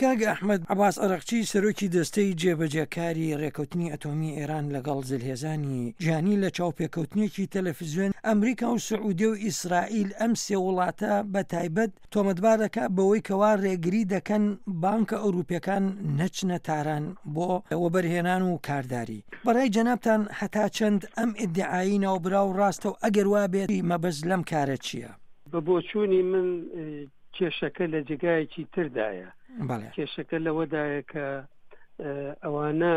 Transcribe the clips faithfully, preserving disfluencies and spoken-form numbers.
کاک ئەحمەد عەباس عەرەقچی سەرۆکی دەستەی جێبەجێکاری ڕێکەوتنی ئەتۆمی ئێران لەگەڵ زلهێزانی جیهانی لە چاوپێکەوتنێکی تەلەفزیۆن ئەمریکا و سعودیە و ئیسرائیل ئەم سێ وڵاتە بە تایبەت تۆمەتبار دەکات بەوەی کەوا ڕێگری دەکەن بانکە ئەوروپیەکان نەچنە تاران بۆ وەبەرهێنان و کارداری. بەڕای جەنابتان هەتا چەند ئەم ئیدعایی ناوبراو ڕاستە و ئەگەر وابێت مەبەست لەم کارە چییە؟ بە بۆچوونی من کێشەکە لە جێگایەکی تردایە. کێشەکە لەوەدایە کە ئەوانە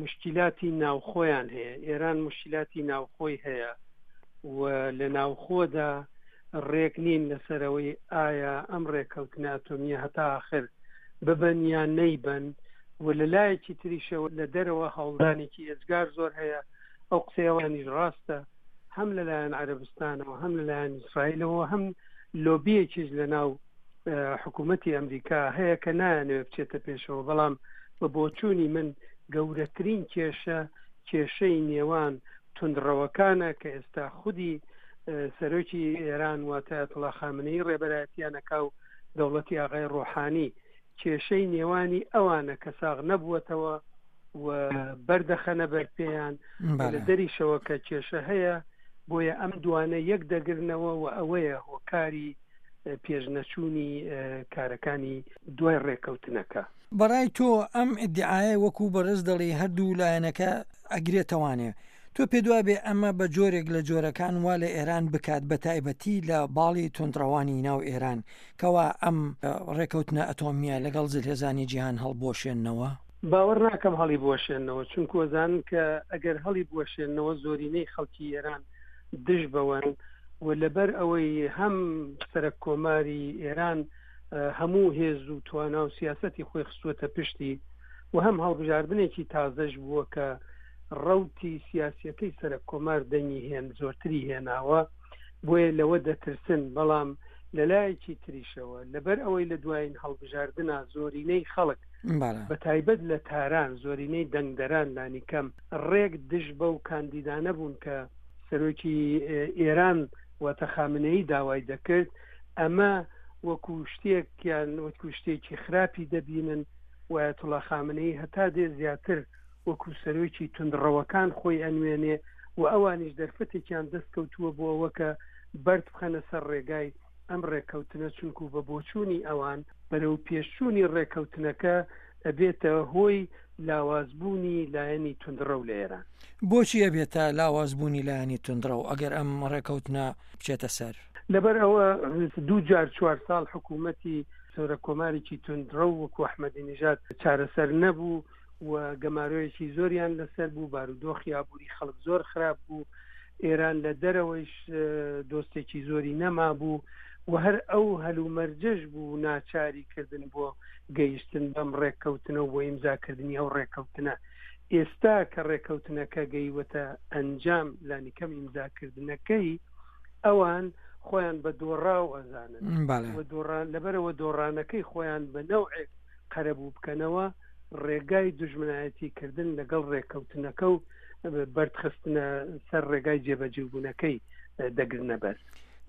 مشکلاتی ناوخۆیان هەیە، ئێران مشکلاتی ناوخۆی هەیە و لە ناوخۆدا ڕێک نین لەسەرەوەی ئایا ئەم ڕێککەوتنە ئەتۆمیە هەتا آخر ببن یان نەیبن و لە لایەکی تریشەوە لە دەرەوە هەوڵدانێکی ئێجگار زۆر هەیە. ئەو قسەیەوانیش ڕاستە، هەم لەلایەن عەرەبستانەوە هەم لەلایەن ئیسرائیلەوە هەم لۆبیەکیش لەناو حکوومەتی ئەمریکا هەیە کە نایانەوێت بچێتە پێشەوە. بەڵام بە بۆچوونی من گەورەترین کێشە کێشەی نێوان توندڕەوەکانە کە ئێستا خودی سەرۆکی ئێران واتە ئایەتوڵا خامنەیی ڕێبەرایەتیانەکا و دەوڵەتی ئاغای ڕۆحانی، کێشەی نێوانی ئەوانە کە ساغ نەبووەتەوە و بەردەخەنە بەرپێیان لە دەریشەوە کە کێشە هەیە، بۆیە ئەم دوانە یەک دەگرنەوە و ئەوەیە هۆکاری پێشنەچوونی کارەکانی دوای ڕێککەوتنەکە. بەڕای تۆ ئەم ئیدعایە وەکو بەڕێز دەڵێی هەردوو لایەنەکە ئەگرێتەوانێ، تۆ پێدوا بێ ئەمە بە جۆرێک لە جۆرەکان وا لە ئێران بکات بە تایبەتی لە باڵی توندڕەوانی ناو ئێران کەوا ئەم ڕێکەوتنە ئەتۆمیە لەگەڵ زلهێزانی جیهان هەڵبوەشێننەوە؟ باوەڕ ناکەم هەڵی بوەشێننەوە، چونکو ئەزانن کە ئەگەر هەڵی بوەشێننەوە زۆرینەی خەڵکی ئێران دژ بەوەن و لەبەر ئەوەی هەم سەرەک کۆماری ئێران هەموو هێز و توانا و سیاسەتی خۆی خستووەتە پشتی و هەم هەڵبژاردنێکی تازەش بووە کە ڕەوتی سیاسیەکەی سەرەک کۆمار دەنگی هێن زۆرتری هێناوە، بۆیە لەوە دەترسن. بەڵام لەلایەکی تریشەوە لەبەر ئەوەی لە دوایین هەڵبژاردنا زۆرینەی خەڵک بە تایبەت لە تاران زۆرینەی دەنگدەران لانیکەم ڕێک دژ بەو کاندیدانە بوون کە سەرۆکی ئێران واتە خامنەیی داوای دەکرد، ئەمە وەکو شتێکیان وەکو شتێکی خراپی دەبینن و ئایەتوڵا خامنەیی هەتا دێ زیاتر وەکو سەرۆکی توندڕەوەکان خۆی ئەنوێنێ و ئەوانیش دەرفەتێکیان دەست کەوتووە بۆ ئەوە کە بەرد بخەنە سەر ڕێگای ئەم ڕێککەوتنە، چونکو بە بۆچوونی ئەوان بەرەو پێشچوونی ڕێککەوتنەکە ئەبێتە هۆی لاوازبوونی لایەنی توندڕەو لە ئێران. بۆچی ئەبێتە لاوازبوونی لایەنی توندڕەو ئەگەر ئەم ڕێککەوتنە بچێتە سەر؟ لەبەر ئەوە دوو جار چوار ساڵ حکوومەتی سەرۆک کۆمارێکی توندڕەو وەکو ئەحمەدی نژاد چارەسەر نەبوو و گەمارۆیەکی زۆریان لەسەر بوو، بارودۆخی ئابووری خەڵک زۆر خراپ بوو، ئێران لە دەرەوەیش دۆستێکی زۆری نەمابوو و هەر ئەو هەلومەرجەش بوو ناچاری کردن بۆ گەیشتن بەم ڕێککەوتنە و بۆ ئیمزاکردنی ئەو ڕێککەوتنە. ئێستا کە ڕێککەوتنەکە گەیوەتە ئەنجام، لانیکەم ئیمزاکردنەکەی، ئەوان خۆیان بە دۆڕاو ئەزانن و دۆڕان لەبەرەوە دۆڕانەکەی خۆیان بە نەوعێک قەرەبوو بکەنەوە، ڕێگای دوژمنایەتی کردن لەگەڵ ڕێککەوتنەکە و بەردخستنە سەر ڕێگای جێبەجێبوونەکەی دەگرنە بەر.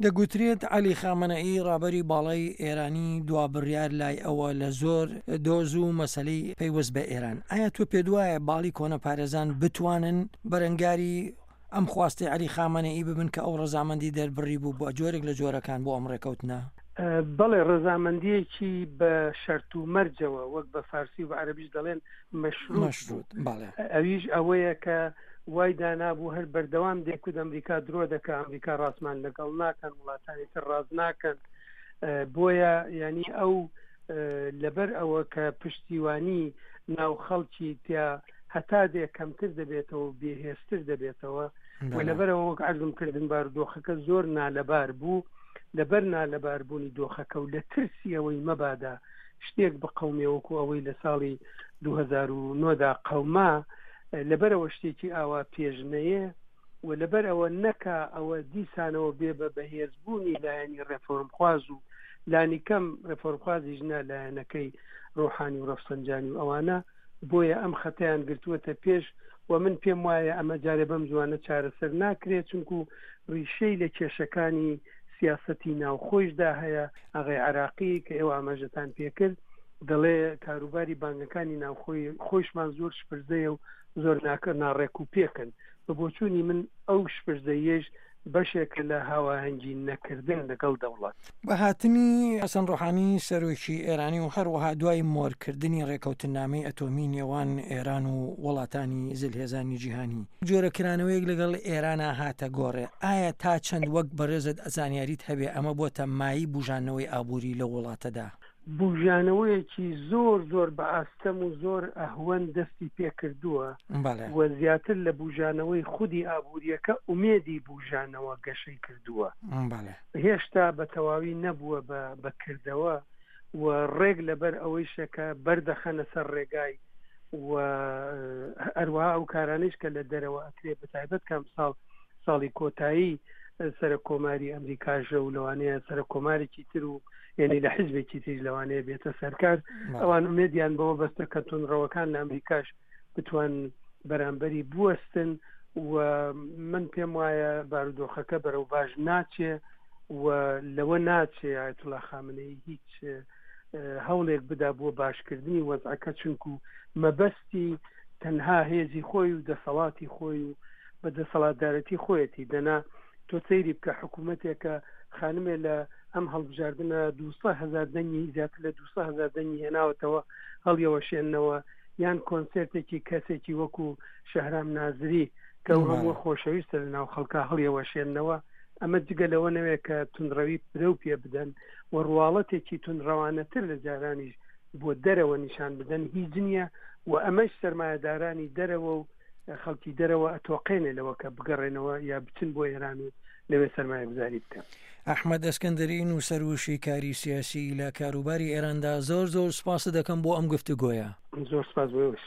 دەگوترێت عەلی خامەنەئی ڕابەری باڵای ئێرانی دوا بڕیار لای ئەوە لە زۆر دۆز و مەسەلەی پەیوەست بە ئێران. ئایا تۆ پێتوایە باڵی کۆنەپارێزان بتوانن بەرەنگاری ئەم خواستەی عەلی خامەنەئی ببن کە ئەو ڕەزامەندی دەربڕیبوو بە جۆرێک لە جۆرەکان بۆ ئەم ڕێکەوتنە؟ بەڵێ، ڕەزامەندییەکی بە شەرت و مەرجەوە، وەک بە فارسی و بە عەرەبیش دەڵێن مەشروط بوو. ئەویش ئەوەیە کە وای دانابوو هەر بەردەوام دەیکوت ئەمریکا درۆ دەکا، ئەمریکا ڕاستمان لەگەڵ ناکەن، وڵاتانی تر ڕاست ناکەن. بۆیە یانی ئەو لەبەر ئەوە کە پشتیوانی ناو خەڵکی تیا هەتا دێ کەمتر دەبێتەوە و بێهێزتر دەبێتەوە و لەبەرەوە وەک عەرزم کردن بارودۆخەکە زۆر نالەبار بوو، لەبەر نالەباربوونی دۆخەکە و لە ترسی ئەوەی مەبادا شتێک بقەومێ وەکو ئەوەی لە ساڵی دوو هەزار و نۆ دا قەوما، لەبەرئەوە شتێکی ئاوا پێش نەیێ و لەبەرئەوە نەکا ئەوە دیسانەوە بێ بە بەهێزبوونی لایەنی ڕێفۆرمخواز و لانیکەم ڕێفۆرمخوازیش نا لایەنەکەی ڕۆحانی و ڕەفسەنجانی و ئەوانە، بۆیە ئەم خەتەیان گرتووەتە پێش و من پێم وایە ئەمە جارێ بەم زووانە چارەسەر ناکرێ چونکو ڕیشەی لە کێشەکانی سیاسەتی ناوخۆیشدا هەیە. ئاغای عەراقی کە ئێوە ئاماژەتان پێکرد دەڵێ کاروباری بانگەکانی ناوخۆی خۆشمان زۆر شپرزەیە و زۆر ناکە ناڕێک و پێکن. بە بۆچوونی من ئەو شپرزەیەش بەشێکە لە هاواهەنگی نەکردن لەگەڵ دەوڵەت. بە هاتنی حەسەن ڕۆحانی سەرۆکی ئێرانی و هەروەها دوای مۆرکردنی ڕێکەوتننامەی ئەتۆمی نێوان ئێران و وڵاتانی زلهێزانی جیهانی جۆرە کرانەوەیەک لەگەڵ ئێرانا هاتە گۆڕێ، ئایا تا چەند وەک بەڕێزت زانیاریت هەبێ ئەمە بۆتە مایەی بوژانەوەی ئابووری لەو وڵاتەدا؟ بوژانەوەیەکی زۆر زۆر بە ئاستەم و زۆر ئەهوەن دەستی پێکردووە و زیاتر لە بوژانەوەی خودی ئابووریەکە ئومێدی بوژانەوە گەشەی کردووە. هێشتا بە تەواوی نەبووە بە کردەوە و ڕێک لەبەر ئەوەیشە کە بەردەخەنە سەر ڕێگای و هەروەها ئەو کارانەیش کە لە دەرەوە ئەکرێ بە تایبەت کە ئەمساڵ ساڵی کۆتایی سەرۆک کۆماری ئەمریکاژە و لەوانەیە سەرۆک کۆمارێکی تر و یعنی لە حزبێکی تریش لەوانەیە بێتە سەرکار، ئەوان ئومێدیان بەوە بەستە کە توندڕەوەکان لە ئەمریکاش بتوان بەرامبەری بوەستن و من پێم وایە بارودۆخەکە بەرەو باش ناچێ و لەوە ناچێ ئایەتوڵا خامنەیی هیچ هەوڵێک بدا بۆ باشکردنی وەزعەکە، چونکو مەبەستی تەنها هێزی خۆی و دەسەڵاتی خۆی و بە دەسەڵاتدارەتی خۆیەتی. دەنا تۆ سەیری بکە حکوومەتێکە خانمێ لە ئەم هەڵبژاردنە دوو سەد هەزار دەنگی زیاتر لە دوو سەد هەزار دەنگی هێناوەتەوە هەڵیەوەشێننەوە، یان کۆنسێرتێکی کەسێکی وەکو شەهرام نازری کە ئەو هەموو خۆشەویستە لە ناو خەڵکا هەڵیەوەشێننەوە. ئەمە جگە لەوە نەوێت کە توندڕەوی پرەو پێ بدەن و ڕواڵەتێکی توندڕەوانەتر لە جارانیش بۆ دەرەوە نیشان بدەن هیچ نییە و ئەمەش سەرمایەدارانی دەرەوە و خەڵکی دەرەوە ئەتۆقێنێ لەوە کە بگەڕێنەوە یا بچن بۆ ئێران و لەوێ سەرمایەگوزاری بکەن. ئەحمەد ئەسکەندەری نووسەر و شیکاری سیاسی لە کاروباری ئێراندا، زۆر زۆر سوپاست دەکەم بۆ ئەم گفتوگۆیە. زۆر سوپاس بۆ ئێوەش.